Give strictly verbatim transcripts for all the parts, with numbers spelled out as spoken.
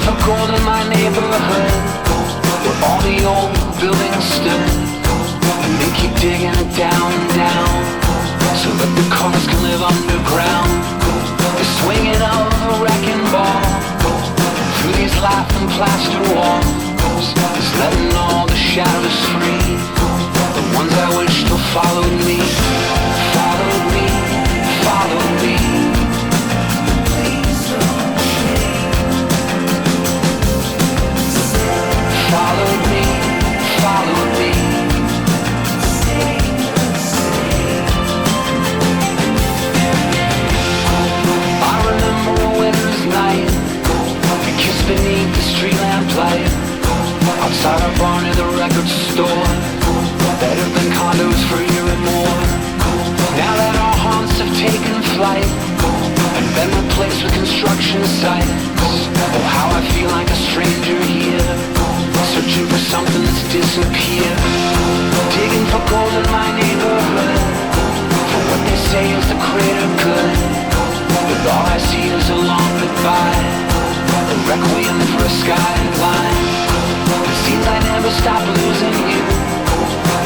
for gold in my neighborhood, where all the old buildings stood, and they keep digging it down and down, so that the cars can live underground. The swinging of a wrecking ball through these laughing plaster walls is letting all the shadows free, the ones I wish still followed me, followed me, followed me. Follow me, follow me. I remember a winter's night, we kissed beneath the street lamplight, outside our bar near the record store, that have been condos for a year and more. Now that our haunts have taken flight and been replaced with construction sites, oh how I feel like a stranger here, searching for something that's disappeared, digging for gold in my neighborhood, for what they say is the greater good, but all I see is a long goodbye, a requiem for a skyline. It seems I never stop losing you,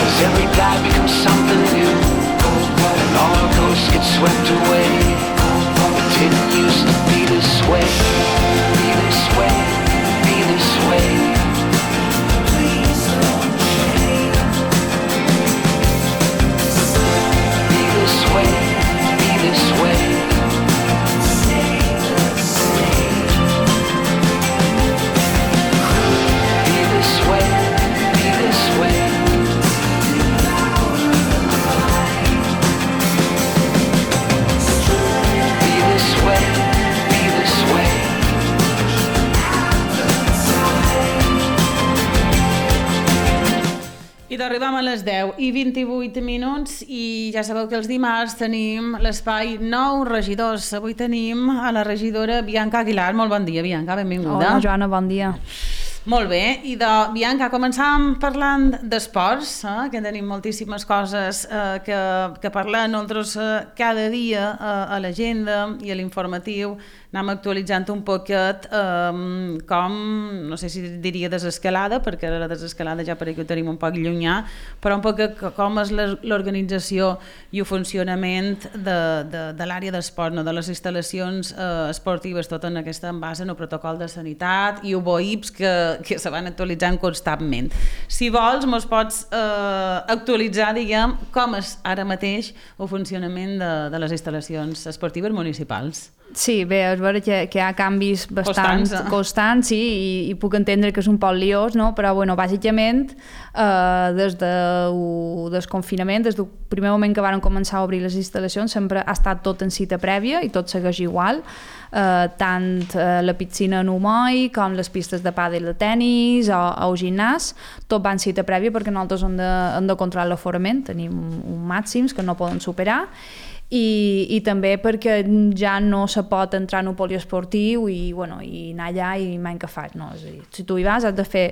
as every dive becomes something new, and all our ghosts get swept away. It didn't used to be this way, be this way, be this way. Arribem a les deu i vint-i-vuit minuts i ja sabeu que els dimarts tenim l'espai Nou Regidors. Avui tenim a la regidora Bianca Aguilar. Molt bon dia, Bianca, benvinguda. Hola, Joana, bon dia. Molt bé, i de Bianca, començàvem parlant d'esports, eh? que tenim moltíssimes coses eh, que, que parlar nosaltres eh, cada dia eh, a l'agenda i a l'informatiu. Anem actualitzant un poquet eh, com, no sé si diria desescalada, perquè la desescalada ja per aquí ho tenim un poc llunyà, però un poc com és l'organització i el funcionament de, de, de l'àrea d'esport, no? De les instal·lacions eh, esportives, tot en aquesta en base en el protocol de sanitat i el B O I P S que, que se van actualitzant constantment. Si vols, mos pots eh, actualitzar, diguem, com és ara mateix el funcionament de, de les instal·lacions esportives municipals. Sí, bé, és vera que, que hi ha canvis bastant constants, eh? constants sí, i, i puc entendre que és un poc liós, no? Però bueno, bàsicament eh, des del desconfinament, des del primer moment que van començar a obrir les instal·lacions sempre ha estat tot en cita prèvia i tot segueix igual, eh, tant eh, la piscina en humoi com les pistes de pàdel de tennis o, o el gimnàs, tot va en cita prèvia perquè nosaltres hem de, hem de controlar l'aforament, tenim un màxims que no poden superar. I, i també perquè ja no se pot entrar en un poliesportiu i, bueno, i anar allà i mai que fas, no? És a dir, si tu hi vas has de fer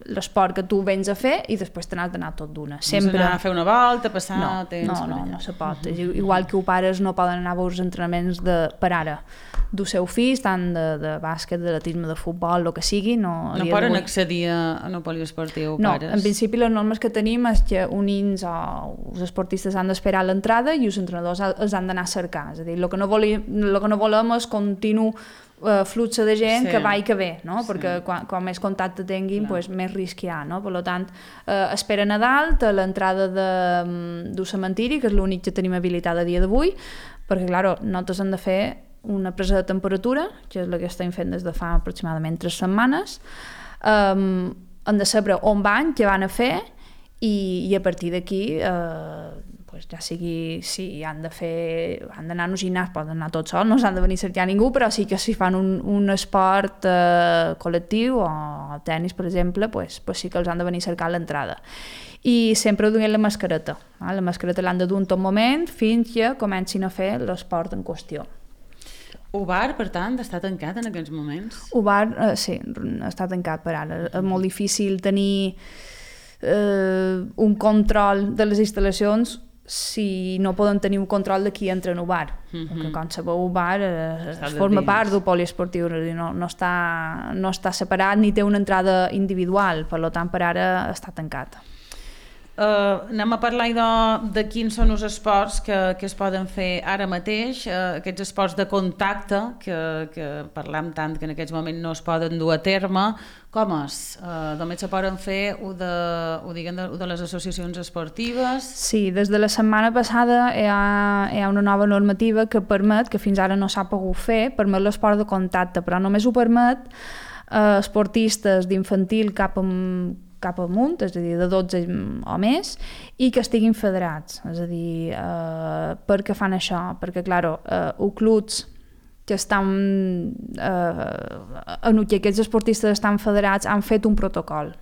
l'esport que tu vens a fer i després te n'has d'anar tot d'una. Sempre... Anar a fer una volta, passar no, temps... No, no, no se pot. Uh-huh. Igual que els pares no poden anar a veure els entrenaments de, per ara del seu fill, tant de, de bàsquet, d'atletisme, de futbol, el que sigui. No, no poden accedir a un poliesportiu, no, pares? En principi les normes que tenim és que uns nens o els esportistes han d'esperar l'entrada i els entrenadors els han d'anar a cercar. És a dir, el que no volem, el que no volem és continu Uh, flux de gent sí. que va i que ve, no? Sí. Perquè quan, quan més contacte tinguin, pues, més risc hi ha, no? Per tant, uh, esperen a dalt a l'entrada de, del cementiri, que és l'únic que tenim habilitat a dia d'avui, perquè, clar, nosaltres hem de fer una presa de temperatura, que és la que estem fent des de fa aproximadament tres setmanes, um, hem de saber on van, què van a fer, i, i a partir d'aquí uh, pues ja sigui, si han de fer, han d'anar a un gimnàs, poden anar tots sols, no s'han de venir a cercar ningú, però sí que si fan un, un esport eh, col·lectiu o el tennis, per exemple, pues, pues sí que els han de venir a cercar l'entrada. I sempre duien la mascareta. Eh? La mascareta l'han de dur en tot moment fins que comencin a fer l'esport en qüestió. El bar, per tant, està tancat en aquests moments? El bar, eh, sí, està tancat per ara. És molt difícil tenir eh, un control de les instal·lacions si no poden tenir un control de qui entra en un bar. Mm -hmm. Perquè, com sabeu, un bar eh, es forma dins. Part d'un poliesportiu, no, no, està, no està separat ni té una entrada individual, per tant, per ara està tancat. Uh, anem a parlar de, de quins són els esports que, que es poden fer ara mateix, uh, aquests esports de contacte que, que parlem tant que en aquests moments no es poden dur a terme. Com és? Uh, només se poden fer ho de, ho diguen de, ho de les associacions esportives? Sí, des de la setmana passada hi ha, hi ha una nova normativa que permet, que fins ara no s'ha pogut fer, permet l'esport de contacte, però només ho permet uh, esportistes d'infantil cap a cap amunt, és a dir, de dotze o més, i que estiguin federats. És a dir, eh, per què fan això? Perquè, clar, eh, els clubs que estan eh, en què aquests esportistes estan federats han fet un protocol.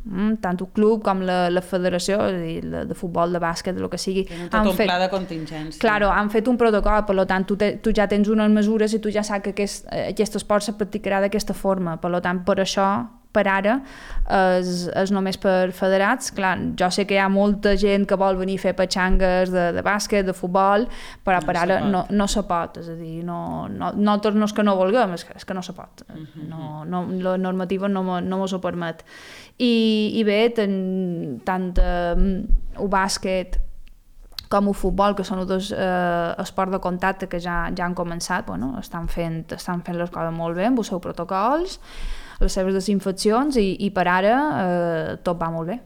Mm, tant el club com la, la federació, és a dir, la, de futbol, de bàsquet, el que sigui, tenen tot un fet, pla de contingència. Claro, han fet un protocol, per tant, tu, te, tu ja tens unes mesures i tu ja saps que aquest, aquest esport se practicarà d'aquesta forma. Per tant, per això, per ara, és, és només per federats. Clar, jo sé que hi ha molta gent que vol venir a fer petxangues de, de bàsquet, de futbol, però no per ara no, no se pot. És a dir, no, no, nosaltres no és que no vulguem, és que, és que no se pot. Uh-huh. No, no, la normativa no, no mos ho permet. I, i bé, ten, tant eh, el bàsquet com el futbol, que són dos eh, esports de contacte que ja, ja han començat, bueno, estan fent, estan fent les coses molt bé amb els seus protocols, les seves desinfeccions i, i per ara eh, tot va molt bé.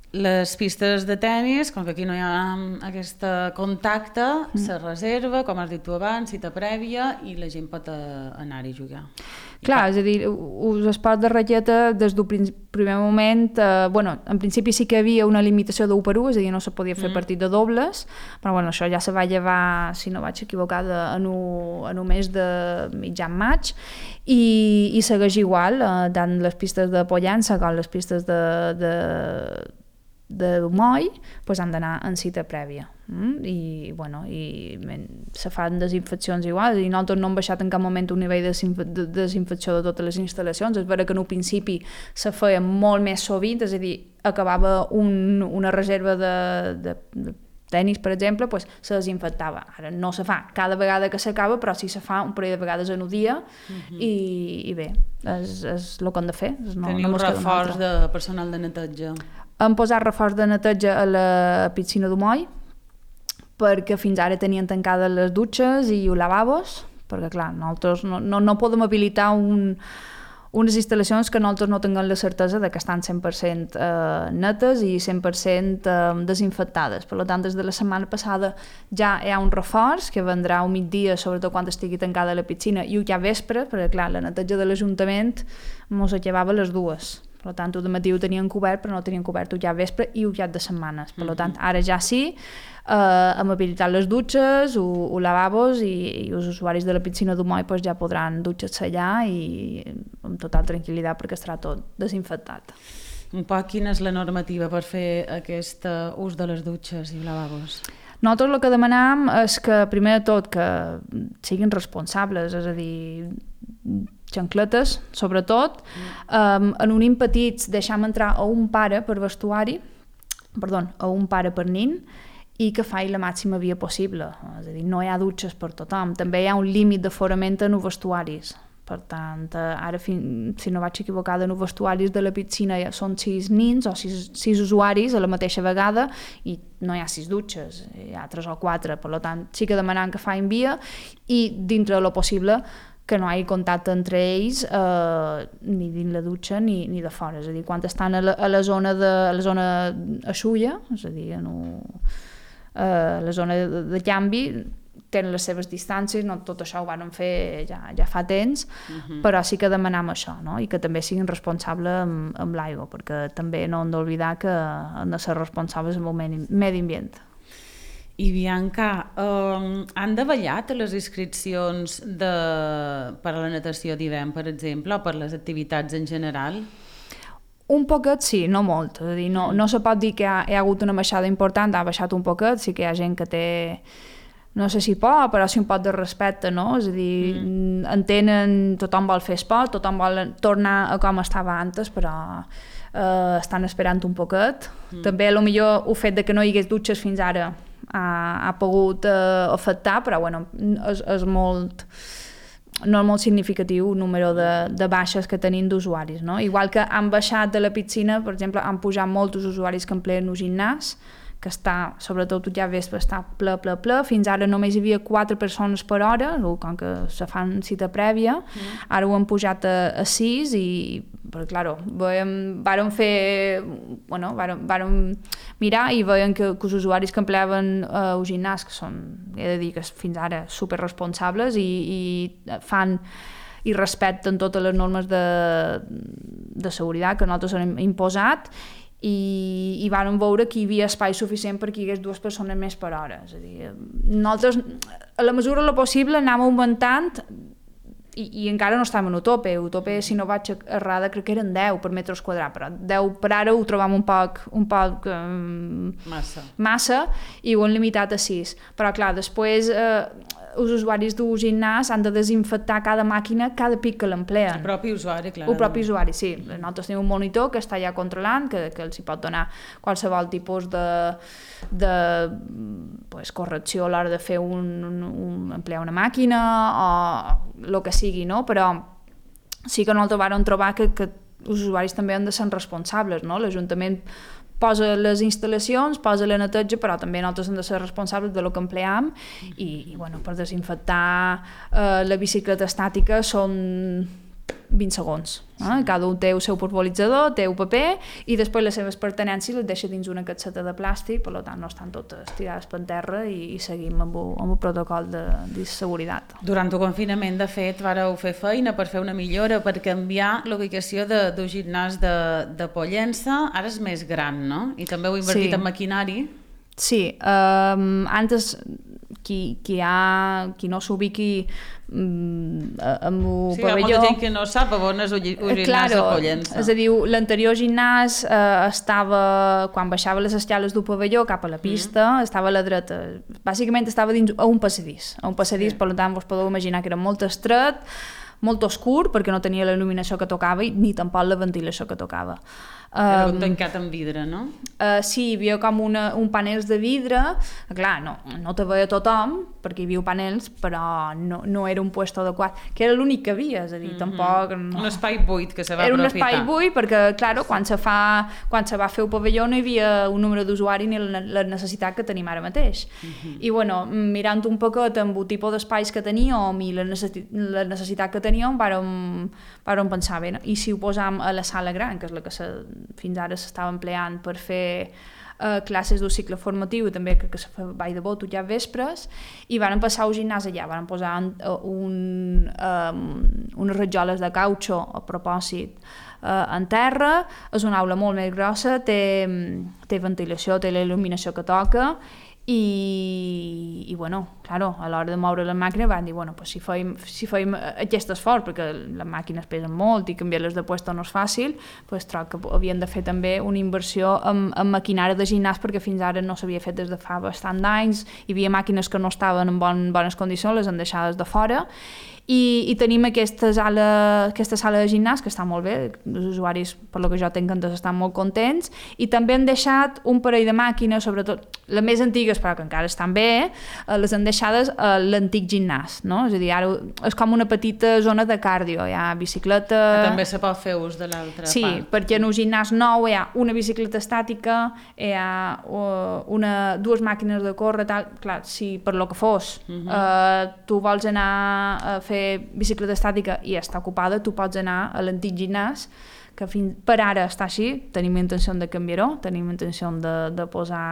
Les pistes de tennis, com que aquí no hi ha aquest contacte, mm. se reserva, com has dit tu abans, cita prèvia, i la gent pot anar-hi a jugar. Clar, és a dir, els esports de raqueta des del primer moment, eh, bueno, en principi sí que hi havia una limitació d'u per u, és a dir, no se podia fer mm. partit de dobles, però bueno, això ja se va llevar, si no vaig equivocada, en un mes de mitjan maig, i, i segueix igual, eh, tant les pistes de Pollença com les pistes de, de de moll, pues han d'anar en cita prèvia. Mm? I, bueno, i se fan desinfeccions igual, i nosaltres no hem baixat en cap moment un nivell de, de desinfecció de totes les instal·lacions. És vera que en un principi se feia molt més sovint, és a dir, acabava un, una reserva de, de, de tenis, per exemple, pues, se desinfectava. Ara no se fa cada vegada que s'acaba, però sí se fa un parell de vegades en un dia, uh-huh. i, i bé, és, és el que hem de fer. No, Teniu no un reforç de personal de neteja? Hem posat reforç de neteja a la piscina d'Umoll, perquè fins ara tenien tancades les dutxes i els lavabos, perquè clar, nosaltres no, no, no podem habilitar un, unes instal·lacions que nosaltres no tinguem la certesa de que estan cent per cent eh, netes i cent per cent eh, desinfectades. Per tant, des de la setmana passada ja hi ha un reforç que vendrà un migdia, sobretot quan estigui tancada la piscina, i ja vespre, perquè clar, la neteja de l'Ajuntament mos acabava a les dues. Per tant, el matí ho tenien cobert, però no tenien cobert el ja vespre i el ja de setmanes. Per tant, ara ja sí, eh, hem habilitat les dutxes, els lavabos, i, i els usuaris de la piscina d'Umoll pues, ja podran dutxar-se allà i amb total tranquil·litat perquè estarà tot desinfectat. Un poc quina és la normativa per fer aquest ús de les dutxes i lavabos? Nosaltres el que demanam és que, primer de tot, que siguin responsables, és a dir, xancletes, sobretot, um, en un petits deixam entrar a un pare per vestuari, perdó, a un pare per nin, i que faci la màxima via possible. És a dir, no hi ha dutxes per tothom. També hi ha un límit d'aforament en els vestuaris. Per tant, ara, si no vaig equivocada, en els vestuaris de la piscina són sis nins o sis, sis usuaris a la mateixa vegada i no hi ha sis dutxes, hi ha tres o quatre. Per tant, sí que demanem que facin via i, dintre de lo possible, que no hi hagi contacte entre ells eh, ni dins la dutxa ni, ni de fora. És a dir, quan estan a la, a la zona de a la zona aixulla, és a dir, en un, eh, la zona de, de canvi, tenen les seves distàncies, no tot això ho van fer ja, ja fa temps, uh-huh. però sí que demanam això, no? I que també siguin responsables amb, amb l'aigua, perquè també no hem d'oblidar que han de ser responsables amb el medi ambient. I Bianca, um, han davallat les inscripcions de, per a la natació d'hivern, per exemple, o per les activitats en general? Un poquet sí, no molt. És a dir, no, no se pot dir que hi ha, hi ha hagut una baixada important, ha baixat un poquet, sí que hi ha gent que té, no sé si por, però sí un poc de respecte, no? És a dir, mm. entenen, tothom vol fer esport, tothom vol tornar a com estava antes, però eh, estan esperant un poquet. Mm. També, a lo millor, el fet de que no hi hagués dutxes fins ara ha, ha pogut eh, afectar, però, bueno, és, és molt... no és molt significatiu el número de, de baixes que tenim d'usuaris, no? Igual que han baixat de la piscina, per exemple, han pujat molts usuaris que empleen el gimnàs, que està, sobretot ja ves, està ple, ple, ple. Fins ara només hi havia quatre persones per hora, com que se fan cita prèvia, mm. ara ho han pujat a, a sis i, però, claro, veiem, vàrem fer, bueno, vàrem, vàrem mirar i veiem que, que els usuaris que empleaven eh, el gimnàs, que són, he de dir que fins ara superresponsables i, i fan i respecten totes les normes de, de seguretat que nosaltres hem imposat, i, i vàrem veure que hi havia espai suficient perquè hi hagués dues persones més per hora. És a dir, nosaltres, a la mesura de lo possible, anàvem augmentant i, i encara no estàvem en utope. Utope, si no vaig errada, crec que eren deu per metres quadrats, però deu per ara ho trobam un poc, un poc um, massa. massa i ho hem limitat a sis. Però, clar, després... Eh, els usuaris d'un gimnàs han de desinfectar cada màquina cada pic que l'empleen. El propi usuari, clar. El propi usuari, sí. Nosaltres tenim un monitor que està ja controlant, que, que els hi pot donar qualsevol tipus de, de pues, correcció a l'hora de fer un, un, un emplear una màquina o el que sigui, no? Però sí que nosaltres vam trobar que, que els usuaris també han de ser responsables, no? L'Ajuntament posa les instal·lacions, posa la neteja, però també nosaltres hem de ser responsables de lo que empleam i, i bueno, per desinfectar eh, la bicicleta estàtica són vint segons. Eh? Sí. Cada un té el seu pulveritzador, té el paper i després les seves pertinences les deixa dins una capseta de plàstic, per tant no estan totes tirades per terra i, i seguim amb el, amb el protocol de, de seguretat. Durant el confinament, de fet, vareu fer feina per fer una millora, per canviar la ubicació de, del gimnàs de, de Pollença. Ara és més gran, no? I també heu invertit sí. en maquinari. Sí, um, antes qui, qui, ha, qui no s'ubiqui um, amb el sí, pavelló... Sí, hi ha molta gent que no sap on és el gimnàs claro, de Pollença. És a dir, l'anterior gimnàs eh, estava, quan baixava les escales del pavelló cap a la pista, mm. estava a la dreta. Bàsicament estava dins a un passadís. A un passadís, sí. Per tant, vos podeu imaginar que era molt estret, molt oscur, perquè no tenia la il·luminació que tocava i ni tampoc la ventilació que tocava. Era um, tancat amb vidre, no? Uh, sí, hi havia com una, un panels de vidre, clar, no, no te veia tothom, perquè hi havia panels, però no, no era un puesto adequat, que era l'únic que havia, és a dir, mm-hmm. tampoc... No. Un espai buit que se va era aprofitar. Era un espai buit, perquè, clar, quan se, fa, quan se va fer el pavelló no hi havia un número d'usuari ni la, la necessitat que tenim ara mateix. Mm-hmm. I, bueno, mirant un poquet amb el tipus d'espais que teníem i la, necessi la necessitat que teníem, vàrem, vàrem pensar bé, no? I si ho posam a la sala gran, que és la que se fins ara s'estava empleant per fer uh, classes d'un cicle formatiu i també que, que se fa ball de boto ja vespres i van passar al gimnàs allà, van posar un, um, unes rajoles de cautxo a propòsit uh, en terra, és una aula molt més grossa, té, té ventilació, té la il·luminació que toca i, i bueno, claro, a l'hora de moure la màquina van dir, bueno, pues si feim, si feim aquest esforç, perquè les màquines pesen molt i canviar-les de puesto no és fàcil, pues troc que havien de fer també una inversió en, en maquinària de gimnàs perquè fins ara no s'havia fet des de fa bastant d'anys, hi havia màquines que no estaven en bon, bones condicions, les han deixades de fora i, i tenim aquesta sala, aquesta sala de gimnàs que està molt bé, els usuaris, per lo que jo tinc entès, estan molt contents i també han deixat un parell de màquines, sobretot les més antigues, però que encara estan bé, les han deixades a l'antic gimnàs, no? És a dir, ara és com una petita zona de cardio, hi ha bicicleta... Que també se pot fer ús de l'altra sí, part. Sí, perquè en un gimnàs nou hi ha una bicicleta estàtica, hi ha una, dues màquines de córrer, tal, clar, si per lo que fos uh-huh. eh, tu vols anar a fer bicicleta estàtica i està ocupada, tu pots anar a l'antic gimnàs, que fins, per ara està així, tenim intenció de canviar-ho, tenim intenció de, de posar...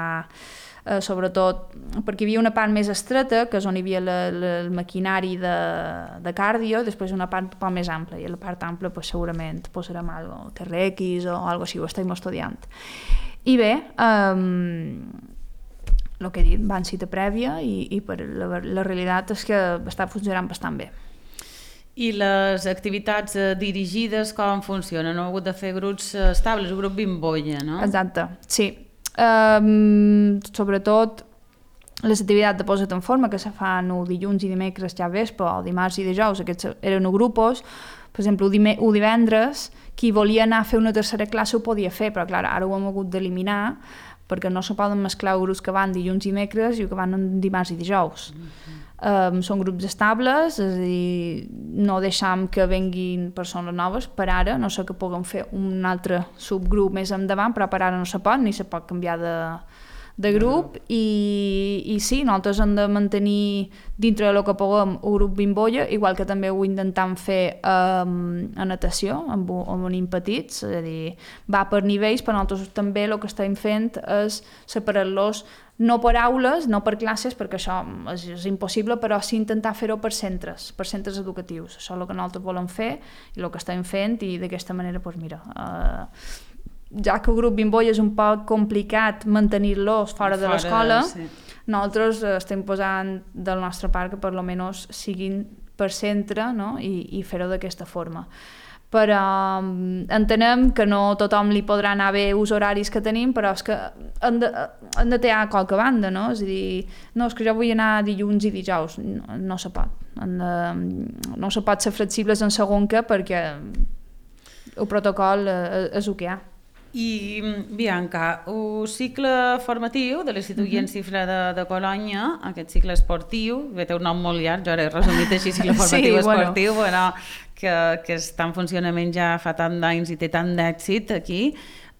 Eh, sobretot perquè hi havia una part més estreta, que és on hi havia la, la, el maquinari de, de cardio, després una part un poc més ampla, i a la part ampla pues, segurament posarem algo, T R X o algo així, ho estem estudiant. I bé, um, el que he dit, van cita prèvia i, i per la, la realitat és que està funcionant bastant bé. I les activitats eh, dirigides com funcionen? No heu hagut de fer grups estables, un grup bimbolla, no? Exacte, sí. Um, sobretot les activitats de posa't en forma que se fan o dilluns i dimecres ja vespre o dimarts i dijous, aquests eren grupos. Per exemple, o divendres, qui volia anar a fer una tercera classe ho podia fer, però clar, ara ho hem hagut d'eliminar perquè no se poden mesclar grups que van dilluns i dimecres i que van dimarts i dijous. Mm-hmm. Um, són grups estables, és a dir, no deixam que venguin persones noves per ara, no sé que puguem fer un altre subgrup més endavant, però per ara no se pot, ni se pot canviar de, de grup, i, i sí, nosaltres hem de mantenir dintre del que puguem un grup bimbolla, igual que també ho intentem fer um, a natació, amb, amb nens petits, és a dir, va per nivells, però nosaltres també el que estem fent és separar-los no per aules, no per classes, perquè això és, és impossible, però sí intentar fer-ho per centres, per centres educatius. Això és el que nosaltres volem fer i el que estem fent, i d'aquesta manera, doncs mira, eh, ja que el grup bimbolla és un poc complicat mantenir-los fora de l'escola, sí. Nosaltres estem posant del nostre part que per almenys siguin per centre, no? I, i fer-ho d'aquesta forma. Però um, entenem que no tothom li podrà anar bé els horaris que tenim, però és que han de, han de tenir a qualque banda, no? És a dir, no, és que jo vull anar dilluns i dijous, no, no se pot. De, no se pot ser flexibles en segon que, perquè el protocol és el que hi ha. I, Bianca, el cicle formatiu de l'Institut uh-huh. Guillem Xifré de, de Colònia, aquest cicle esportiu, que té un nom molt llarg, jo ara he resumit així, cicle formatiu sí, esportiu, bueno. Bueno, que, que està en funcionament ja fa tant d'anys i té tant d'èxit aquí,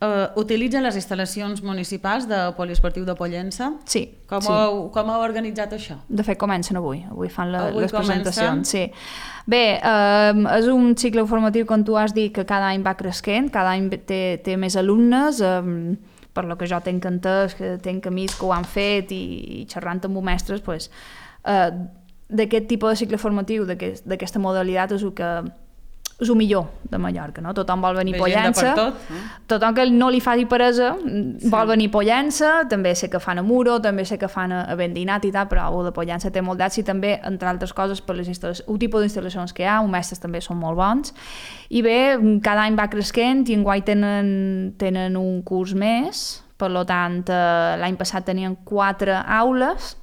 uh, utilitza les instal·lacions municipals de poliesportiu de Pollença? Sí. Com, sí. Heu, com heu organitzat això? De fet, comencen avui. Avui fan la, avui les presentacions. Sí. Bé, eh, és un cicle formatiu, com tu has dit, que cada any va creixent, cada any té, té més alumnes, eh, per lo que jo tenc entès, que tenc amics que ho han fet i, i xerrant amb mestres, pues, eh, d'aquest tipus de cicle formatiu, d'aquesta modalitat, és el que és el millor de Mallorca, no? Tothom vol venir a Pollença, tot, eh? Tothom que no li faci peresa sí. Vol venir a Pollença, també sé que fan a Muro, també sé que fan a, a Bendinat i tal, però el de Pollença té molt d'èxit també, entre altres coses, per les el tipus d'instal·lacions que hi ha, els mestres també són molt bons, i bé, cada any va creixent i enguany tenen, tenen un curs més, per tant, l'any passat tenien quatre aules,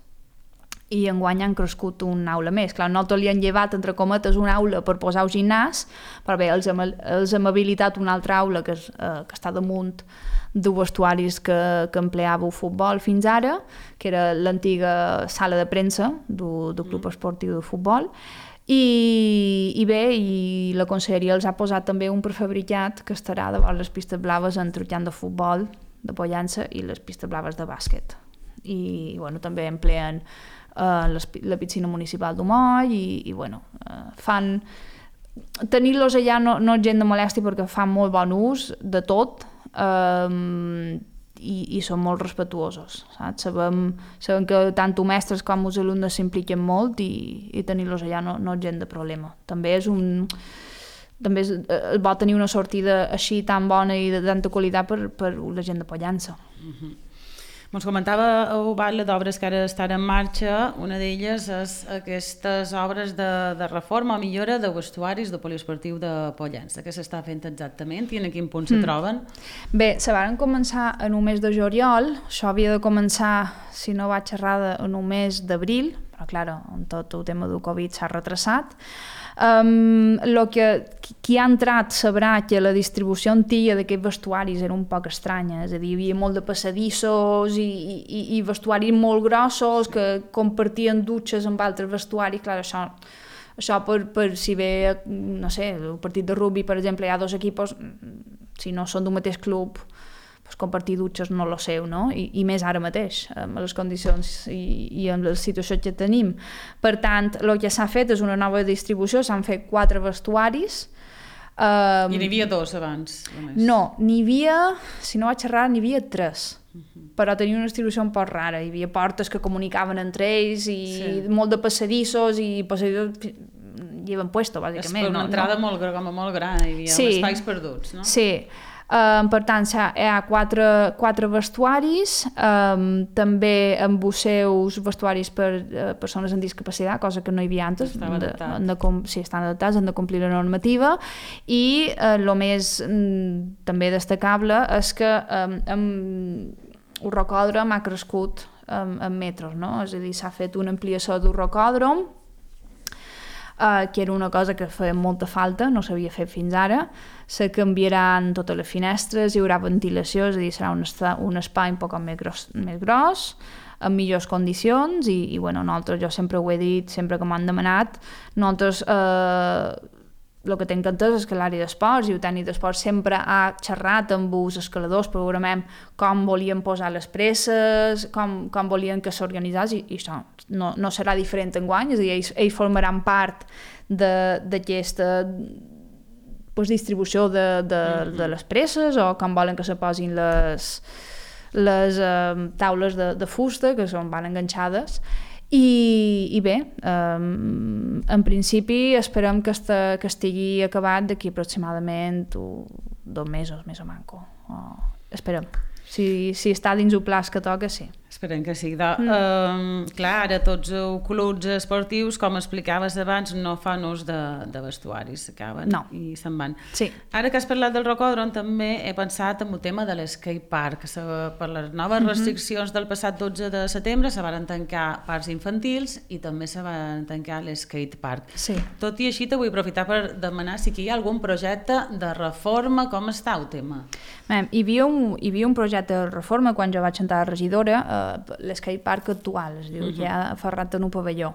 i enguany han crescut una aula més. Clar, nosaltres li han llevat, entre cometes, una aula per posar el gimnàs, però bé, els hem, els hem habilitat una altra aula que, és, eh, que està damunt de vestuaris que, que empleava el futbol fins ara, que era l'antiga sala de premsa del, del Club Esportiu de Futbol, i, i bé, i la conselleria els ha posat també un prefabricat que estarà davant les pistes blaves entre el camp de futbol de Pollença i les pistes blaves de bàsquet. I bueno, també empleen Uh, les, la piscina municipal d'Humoll i, i bueno, uh, fan tenir-los allà no, no és gent de molèstia perquè fan molt bon ús de tot um, i, i són molt respetuosos, saps? Sabem, sabem que tant els mestres com els alumnes s'impliquen molt i, i tenir-los allà no, no és gent de problema. També és un també és, uh, vol tenir una sortida així tan bona i de tanta qualitat per, per la gent de Pollença. Mm-hmm. Ens comentava el batle d'obres que ara estan en marxa, una d'elles és aquestes obres de, de reforma o millora de vestuaris de poliesportiu de Pollença. Què s'està fent exactament i en quin punt se troben? Mm. Bé, se van començar en un mes de juliol, això havia de començar, si no vaig errada, en un mes d'abril, però clar, amb tot el tema del Covid s'ha retrasat. Um, lo que qui ha entrat sabrà que la distribució antiga d'aquests vestuaris era un poc estranya, és a dir, hi havia molt de passadissos i, i, i vestuaris molt grossos que compartien dutxes amb altres vestuaris. Clar, això, això per, per si ve, no sé, el partit de rugby, per exemple, hi ha dos equipos, si no són d'un mateix club, pues compartir dutxes no lo seu, no? I, i més ara mateix, amb les condicions i, i amb la situació que tenim. Per tant, el que s'ha fet és una nova distribució, s'han fet quatre vestuaris. Um, I n'hi havia dos abans? Només. No, n'hi havia, si no vaig errar, n'hi havia tres. Uh-huh. Però tenia una distribució un poc rara. Hi havia portes que comunicaven entre ells i sí. molt de passadissos i passadissos lleven puesto, bàsicament. És per una no, entrada no. molt, com molt gran, hi havia sí. espais perduts, no? Sí. Um, per tant, hi ha quatre, quatre vestuaris, um, també amb els seus vestuaris per uh, persones amb discapacitat, cosa que no hi havia antes. Estava adaptat. Han de, sí, estan adaptats, han de complir la normativa, i el uh, més mm, també destacable és que um, amb, el rocòdrom ha crescut en, en metros, no? És a dir, s'ha fet una ampliació d'un rocòdrom, Uh, que era una cosa que feia molta falta, no s'havia fet fins ara. Se canviaran totes les finestres, hi haurà ventilació, és a dir, serà un, esta, un espai un poc més gros, més gros, en millors condicions, i, i bueno, nosaltres, jo sempre ho he dit, sempre que m'han demanat, nosaltres eh, el que tinc entès és que l'àrea d'esports i el tècnic d'esports sempre ha xerrat amb els escaladors, programem com volien posar les presses, com, com volien que s'organitzés, i, i això no, no serà diferent enguany, és a dir, ells, ells formaran part d'aquesta pues, distribució de, de, mm-hmm. de les presses, o com volen que se posin les, les eh, taules de, de fusta, que són, van enganxades. I, i bé, um, en principi esperem que, este, que estigui acabat d'aquí aproximadament uh, dos mesos, més o manco. Uh, esperem. Si, si està dins el pla que toca, sí. Esperem que sí. De, mm. um, clar, ara tots els clubs esportius, com explicaves abans, no fan ús de, de vestuaris, s'acaben no. i se'n van. Sí. Ara que has parlat del rocòdrom, també he pensat en el tema de l'skate park. Per les noves restriccions mm-hmm. del passat dotze de setembre se van tancar parcs infantils i també se van tancar l'skate park. Sí. Tot i així, te vull aprofitar per demanar si hi ha algun projecte de reforma, com està el tema? Bé, hi havia un, hi havia un projecte de reforma quan jo vaig entrar a regidora, eh, l'skate park actual, es diu, uh-huh. ja aferrat en un pavelló.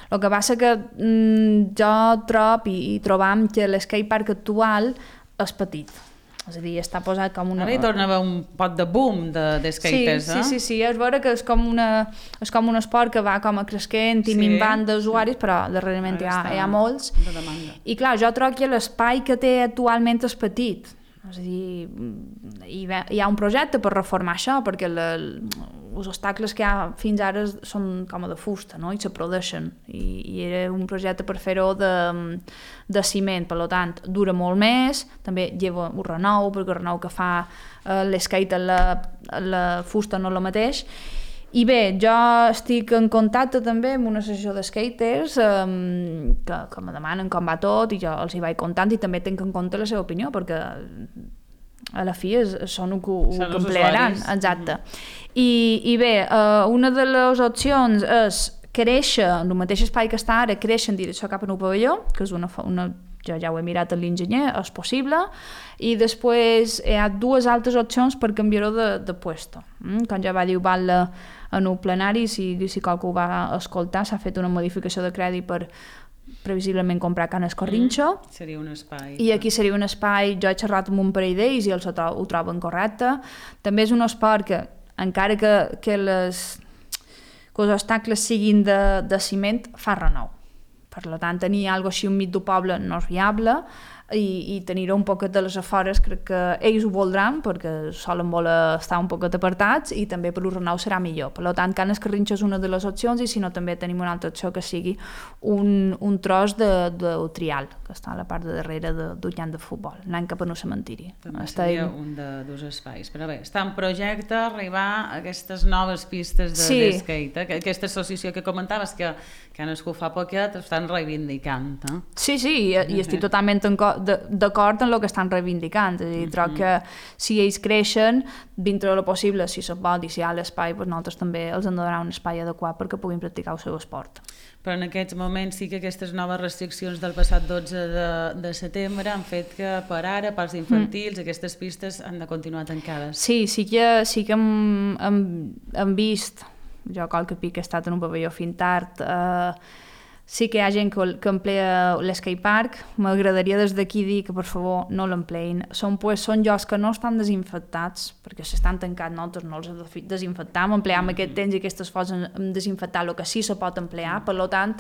El que passa que mm, jo trob i, i trobam que l'skate park actual és petit. És a dir, està posat com una... Ara hi torna a haver un pot de boom de, de skaters, sí, eh? Sí, sí, sí, és veure que és com, una, és com un esport que va com a cresquent i sí. minvant d'usuaris, però darrerament hi ha, hi ha molts. I clar, jo trobo que l'espai que té actualment és petit. És a dir, hi ha un projecte per reformar això, perquè la, els obstacles que hi ha fins ara són com de fusta, no? I se produeixen. I, i era un projecte per fer-ho de, de ciment, per tant, dura molt més, també lleva un renou, perquè el renou que fa eh, l'skate a la, a la fusta no és el mateix. I bé, jo estic en contacte també amb una associació de skaters um, que, que me demanen com va tot i jo els hi vaig contant i també tinc en compte la seva opinió perquè a la fi és, són el que, el que emplearan. Exacte. Mm-hmm. I, I bé, uh, una de les opcions és créixer en el mateix espai que està ara, créixer en direcció cap a un pavelló, que és una, una jo ja ho he mirat a l'enginyer, és possible, i després hi ha dues altres opcions per canviar-ho de, de puesto. Mm? Quan ja va dir Batlle en el plenari, si, si qualcú ho va escoltar, s'ha fet una modificació de crèdit per previsiblement comprar Can Escorrinxo. Mm, seria un espai. I aquí seria un espai, jo he xerrat amb un parell d'ells i els ho, ho troben correcte. També és un esport que, encara que, que, les, que els obstacles siguin de, de ciment, fa renou. Per tant, tenir alguna cosa així enmig del poble no és viable i, i tenir-ho un poquet de les afores crec que ells ho voldran perquè solen voler estar un poquet apartats i també per l'Urrenau serà millor. Per tant, Can Escarrinxo és una de les opcions i si no també tenim una altra opció que sigui un, un tros de, de trial que està a la part de darrere de, del camp de futbol, anant cap a un cementiri. També seria en... un de dos espais. Però bé, està en projecte arribar a aquestes noves pistes de, sí. de skate, eh? Aquesta associació que comentaves que, que han nascut fa poquet estan reivindicant. Eh? Sí, sí, i, i estic totalment d'acord en el que estan reivindicant. És a dir, mm-hmm. troc que si ells creixen, dintre de lo possible, si se'n pot i si hi ha l'espai, doncs nosaltres també els hem de donar un espai adequat perquè puguin practicar el seu esport. Però en aquests moments sí que aquestes noves restriccions del passat dotze de, de setembre han fet que per ara, pels infantils, mm. aquestes pistes han de continuar tancades. Sí, sí que, sí que hem, hem, hem vist, jo qualque pic he estat en un pavelló fins tard, eh, sí que hi ha gent que, que emplea l'skate park. M'agradaria des d'aquí dir que per favor no l'empleïn. Són, pues, són llocs que no estan desinfectats perquè s'estan tancats, nosaltres no els desinfectam, empleam mm-hmm. aquest temps i aquestes coses en desinfectar el que sí se pot emplear, per tant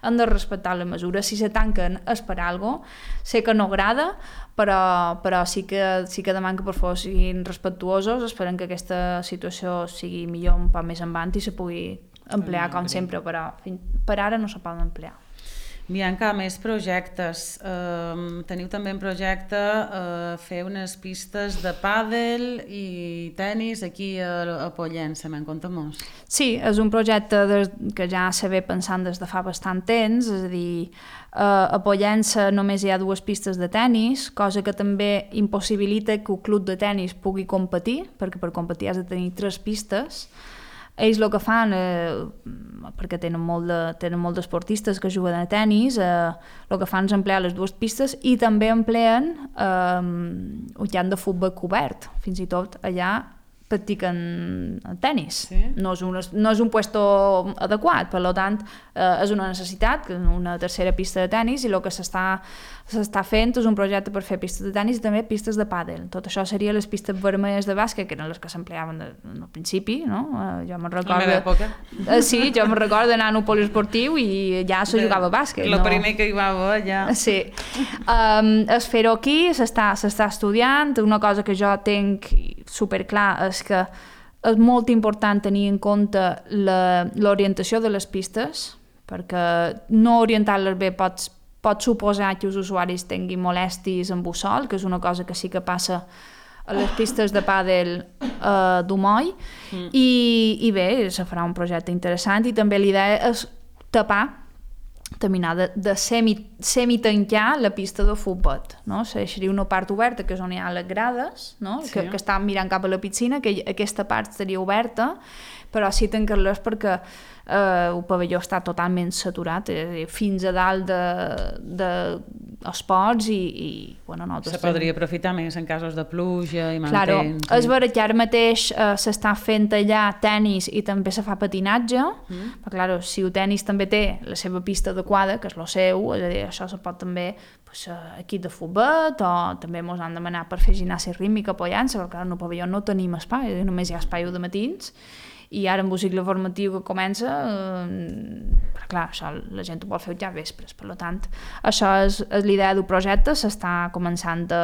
hem de respectar la mesura. Si se tanquen és per alguna cosa, sé que no agrada, però, però sí, que, sí que demanem que per favor siguin respectuosos, esperem que aquesta situació sigui millor un poc més endavant i se pugui emplear com sempre, però per ara no se poden emplear. Bianca, més projectes. Uh, teniu també en projecte uh, fer unes pistes de pàdel i tennis aquí a, a Pollença, me'n compta molts. Sí, és un projecte de, que ja se ve pensant des de fa bastant temps, és a dir, uh, a Pollença només hi ha dues pistes de tennis, cosa que també impossibilita que el club de tennis pugui competir, perquè per competir has de tenir tres pistes. ells el que fan, eh, perquè tenen molt de, tenen molt d'esportistes que juguen a tennis, eh, el que fan és emplear les dues pistes i també empleen eh, un camp de futbol cobert, fins i tot allà practiquen tenis. Sí. No és un, no és un puesto adequat, per tant, eh, és una necessitat, una tercera pista de tenis, i el que s'està s'està fent és un projecte per fer pistes de tenis i també pistes de pàdel. Tot això seria les pistes vermelles de bàsquet, que eren les que s'empleaven al principi, no? Eh, jo me'n recordo... La meva època. Eh, sí, jo me'n recordo d'anar a un poliesportiu i ja se jugava a bàsquet. El no? primer que hi va haver, ja... Sí. Um, es fer-ho aquí, s'està estudiant. Una cosa que jo tinc superclar és que és molt important tenir en compte l'orientació de les pistes, perquè no orientar-les bé pots pot suposar que els usuaris tinguin molèsties amb bussol, que és una cosa que sí que passa a les pistes de pàdel eh, d'Umoll, mm. I, i bé, se farà un projecte interessant, i també l'idea és tapar, terminar de, de semi, semi-tancar la pista de futbol, no? Seria una part oberta, que és on hi ha les grades, no? Sí. que, que estan mirant cap a la piscina, que aquesta part estaria oberta, però sí tancar-les perquè eh, el pavelló està totalment saturat, eh, fins a dalt d'esports de, i, i bueno, no, se podria aprofitar més en casos de pluja i mal claro, temps. És vera que ara mateix eh, s'està fent allà tenis i també se fa patinatge, mm. però claro, si el tenis també té la seva pista adequada, que és el seu, és a dir, això se pot també pues, equip de futbol, o també ens han demanat per fer gimnàsia rítmica apoyant-se, perquè en el pavelló no tenim espai, només hi ha espai de matins, i ara amb el cicle formatiu que comença, eh, però clar, això la gent ho vol fer ja vespres, per tant, això és, és l'idea del projecte, s'està començant a,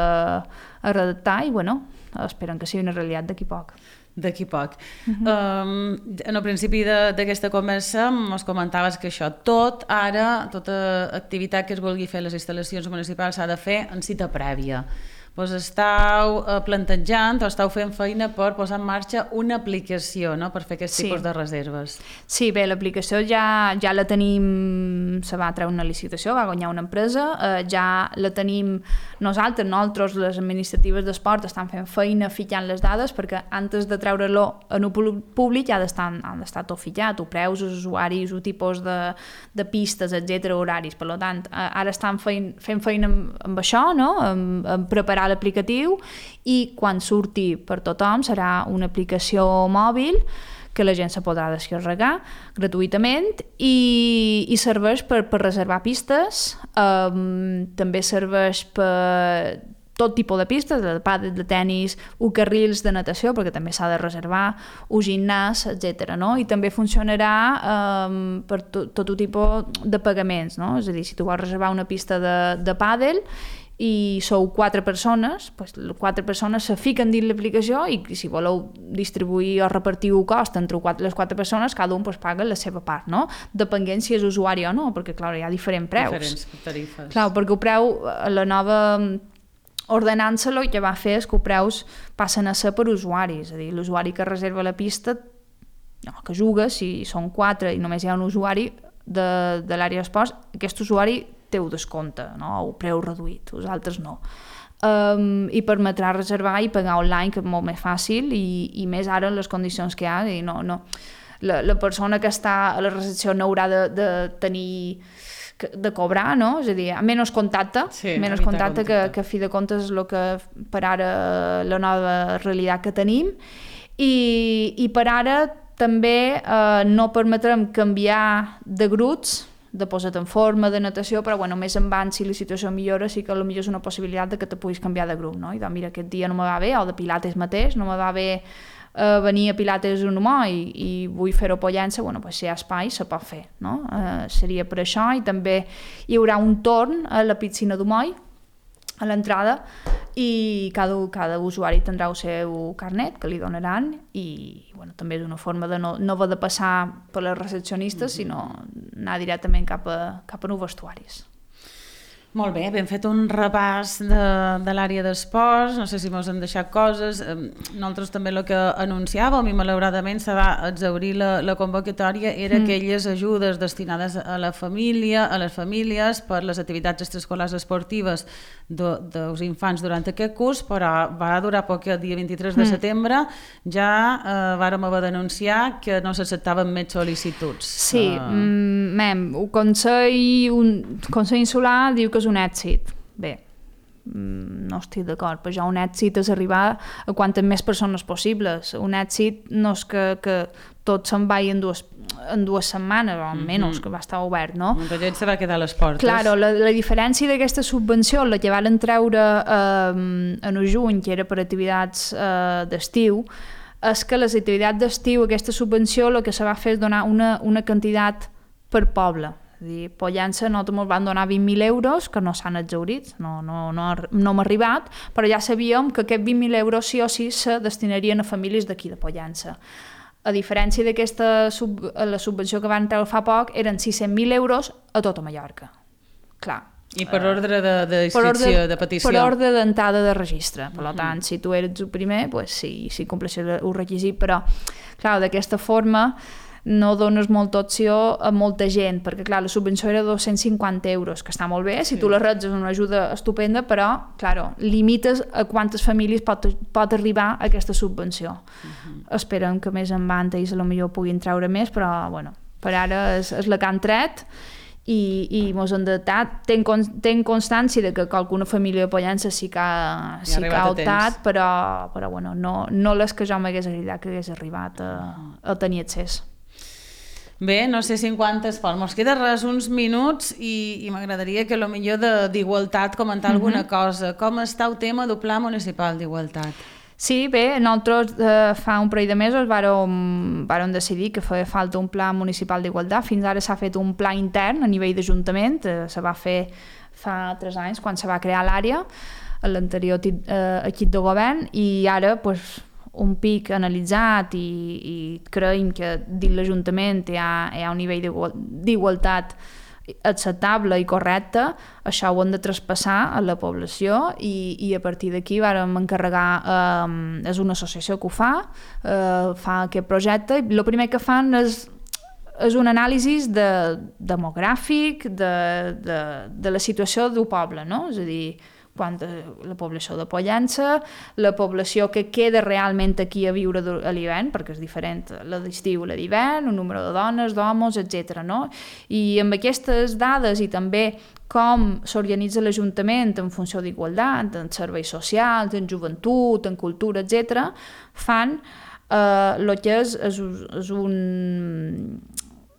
a redactar i, bueno, esperen que sigui una realitat d'aquí poc. D'aquí poc. Uh-huh. Um, en el principi d'aquesta conversa ens comentaves que això, tot ara, tota activitat que es vulgui fer a les instal·lacions municipals s'ha de fer en cita prèvia. Pues estàu plantejant o estàu fent feina per posar en marxa una aplicació, no?, per fer aquest sí. tipus de reserves. Sí, bé, l'aplicació ja, ja la tenim, se va treure una licitació, va guanyar una empresa, eh, ja la tenim nosaltres, nosaltres, les administratives d'esport, estan fent feina fitxant les dades, perquè antes de treure-lo en el públic ja han d'estar tot fitxat, o preus, els usuaris, o tipus de, de pistes, etcètera, horaris. Per tant, ara estan feint, fent feina amb, amb això, no?, amb, amb preparar l'aplicatiu, i quan surti per tothom serà una aplicació mòbil que la gent se podrà descarregar gratuïtament i, i serveix per, per reservar pistes, um, també serveix per tot tipus de pistes, de pàdel, de tenis, o carrils de natació, perquè també s'ha de reservar, o gimnàs, etcètera, no? I també funcionarà um, per to, tot tipus de pagaments, no? És a dir, si tu vols reservar una pista de, de pàdel i sou quatre persones, doncs quatre persones se fiquen dins l'aplicació i si voleu distribuir o repartir el cost entre les quatre persones, cada un doncs, paga la seva part, no? Depenent si és usuari o no, perquè clar, hi ha diferents preus. Diferents tarifes. Clar, perquè el preu, la nova ordenança el que va fer és que els preus passen a ser per usuaris, és a dir, l'usuari que reserva la pista, no, que juga, si són quatre i només hi ha un usuari de, de l'àrea d'esports, aquest usuari té un descompte, no? O preu reduït, els altres no. Um, I permetrà reservar i pagar online, que és molt més fàcil, i, i més ara en les condicions que hi ha, i no, no. La, la persona que està a la recepció no haurà de, de tenir de cobrar, no? És a dir, menys contacte, sí, menys contacte, contacte. Que, que a fi de comptes és el que per ara la nova realitat que tenim, i, i per ara també eh, no permetrem canviar de grups, de posar en forma, de natació, però bueno, més en van, si la situació millora, sí que potser és una possibilitat de que te puguis canviar de grup, no? I doncs, mira, aquest dia no me va bé, o de pilates mateix, no me va bé eh, venir a pilates un humà i, i vull fer-ho pollant-se, bueno, pues, si hi ha espai, se pot fer, no? Eh, seria per això, i també hi haurà un torn a la piscina d'Umoll, a l'entrada, i cada, cada usuari tindrà el seu carnet que li donaran, i bueno, també és una forma de no, no haver de passar per les recepcionistes, mm-hmm. sinó anar directament cap a, cap a nous vestuaris. Molt bé, hem fet un repàs de, de l'àrea d'esports, no sé si mos han deixat coses. Nosaltres també el que anunciàvem, i malauradament se va exaurir la, la convocatòria, era mm. aquelles ajudes destinades a la família, a les famílies, per les activitats extraescolars esportives de, dels infants durant aquest curs, però va durar poc, el dia vint-i-tres de setembre ja eh, vàrem haver d'anunciar que no s'acceptaven més sol·licituds. Sí, uh... mem, el Consell, un, Consell Insular diu que és un èxit. Bé, no estic d'acord, però ja un èxit és arribar a quantes més persones possibles. Un èxit no és que, que tot se'n vagi en dues, en dues setmanes, o almenys mm-hmm. que va estar obert, no? Molta gent se va quedar a les portes. Claro, la, la diferència d'aquesta subvenció, la que van treure eh, en el juny, que era per activitats eh, d'estiu, és que les activitats d'estiu, aquesta subvenció, el que se va fer és donar una, una quantitat per poble. És a dir, Pollença nosaltres ens van donar vint mil euros, que no s'han exhaurit, no, no, no, no hem arribat, però ja sabíem que aquests vint mil euros sí o sí se destinarien a famílies d'aquí de Pollença. A diferència d'aquesta sub, la subvenció que van treure fa poc, eren sis-cents mil euros a tota Mallorca. Clar. I per ordre de, de inscripció, de petició. Per ordre d'entrada de registre. Per uh-huh. tant, si tu eres el primer, pues sí, sí compleixes el requisit, però clar, d'aquesta forma no dones molta opció a molta gent, perquè clar, la subvenció era dos-cents cinquanta euros, que està molt bé, si sí. tu la reps és una ajuda estupenda, però claro, limites a quantes famílies pot, pot arribar aquesta subvenció. Uh-huh. Esperem que més en banda i potser puguin treure més, però bueno, per ara és, és la que han tret i, i mos han datat. Tenc, tenc constància de que alguna família de Pollença sí que ha, sí que ha optat, però, però bueno, no, no les que jo m'hagués agradat que hagués arribat a, a tenir accés. Bé, no sé si en quantes parts. Mos queda res uns minuts i, i m'agradaria que potser d'igualtat comentar uh-huh. alguna cosa. Com està el tema del Pla Municipal d'Igualtat? Sí, bé, nosaltres eh, fa un parell de mesos vàrem, vàrem decidir que feia falta un Pla Municipal d'Igualtat. Fins ara s'ha fet un pla intern a nivell d'Ajuntament, eh, se va fer fa tres anys quan se va crear l'àrea, a l'anterior eh, equip de govern, i ara pues, un pic analitzat i, i creiem que dins l'Ajuntament hi ha, hi ha un nivell d'igualtat acceptable i correcte, això ho hem de traspassar a la població i, i a partir d'aquí vàrem encarregar, eh, és una associació que ho fa, eh, fa aquest projecte, i el primer que fan és, és un anàlisi de, demogràfic de, de, de la situació del poble, no? És a dir, quanta, la població de Pollença, la població que queda realment aquí a viure a l'hivern, perquè és diferent la d'estiu i la d'hivern, un número de dones, d'homes, etcètera. No? I amb aquestes dades i també com s'organitza l'Ajuntament en funció d'igualtat, en serveis socials, en joventut, en cultura, etcètera, fan el eh, que és, és, és un,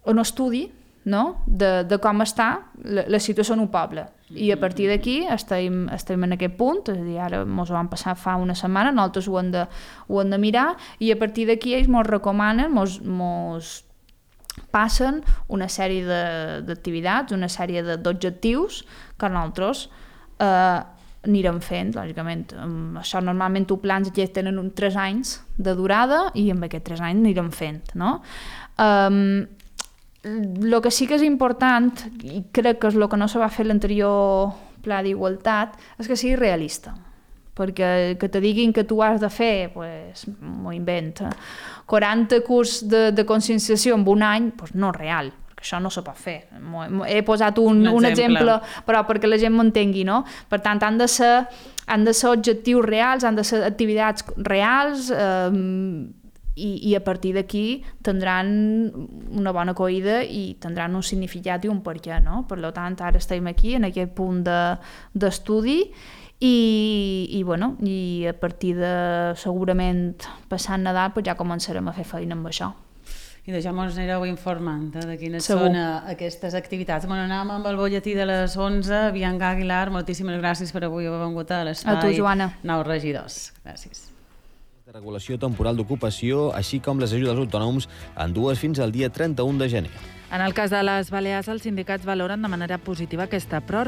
un estudi, no? de, de com està la, la situació en un poble. I a partir d'aquí estem, estem en aquest punt, és a dir, ara ens ho van passar fa una setmana, nosaltres ho hem de, ho hem de mirar, i a partir d'aquí ells ens recomanen, ens passen una sèrie d'activitats, una sèrie d'objectius que nosaltres eh, anirem fent, lògicament. Això normalment els plans ja tenen uns tres anys de durada i amb aquests tres anys anirem fent, no? Um, El que sí que és important, i crec que és el que no se va fer l'anterior pla d'igualtat, és que sigui realista. Perquè que te diguin que tu has de fer, pues, m'ho invento, quaranta curs de, de conscienciació en un any, pues no és real, perquè això no se pot fer. He posat un, un, un exemple, però perquè la gent m'entengui, no? Per tant, han de ser, han de ser objectius reals, han de ser activitats reals, eh, I, i a partir d'aquí tindran una bona acollida i tindran un significat i un per què, no? Per tant, ara estem aquí en aquest punt d'estudi de, i, i, bueno, i a partir de segurament passant Nadal pues ja començarem a fer feina amb això. I de ja ens anireu informant eh, de quines Segur. Són uh, aquestes activitats. Bueno, anem amb el butlletí de les onze. Bianca Aguilar, moltíssimes gràcies per avui haver vingut a l'espai. A tu, Joana. Nou regidors. Gràcies. De regulació temporal d'ocupació, així com les ajudes als autònoms, en dues fins al dia trenta-un de gener. En el cas de les Balears, els sindicats valoren de manera positiva aquesta pròrroga.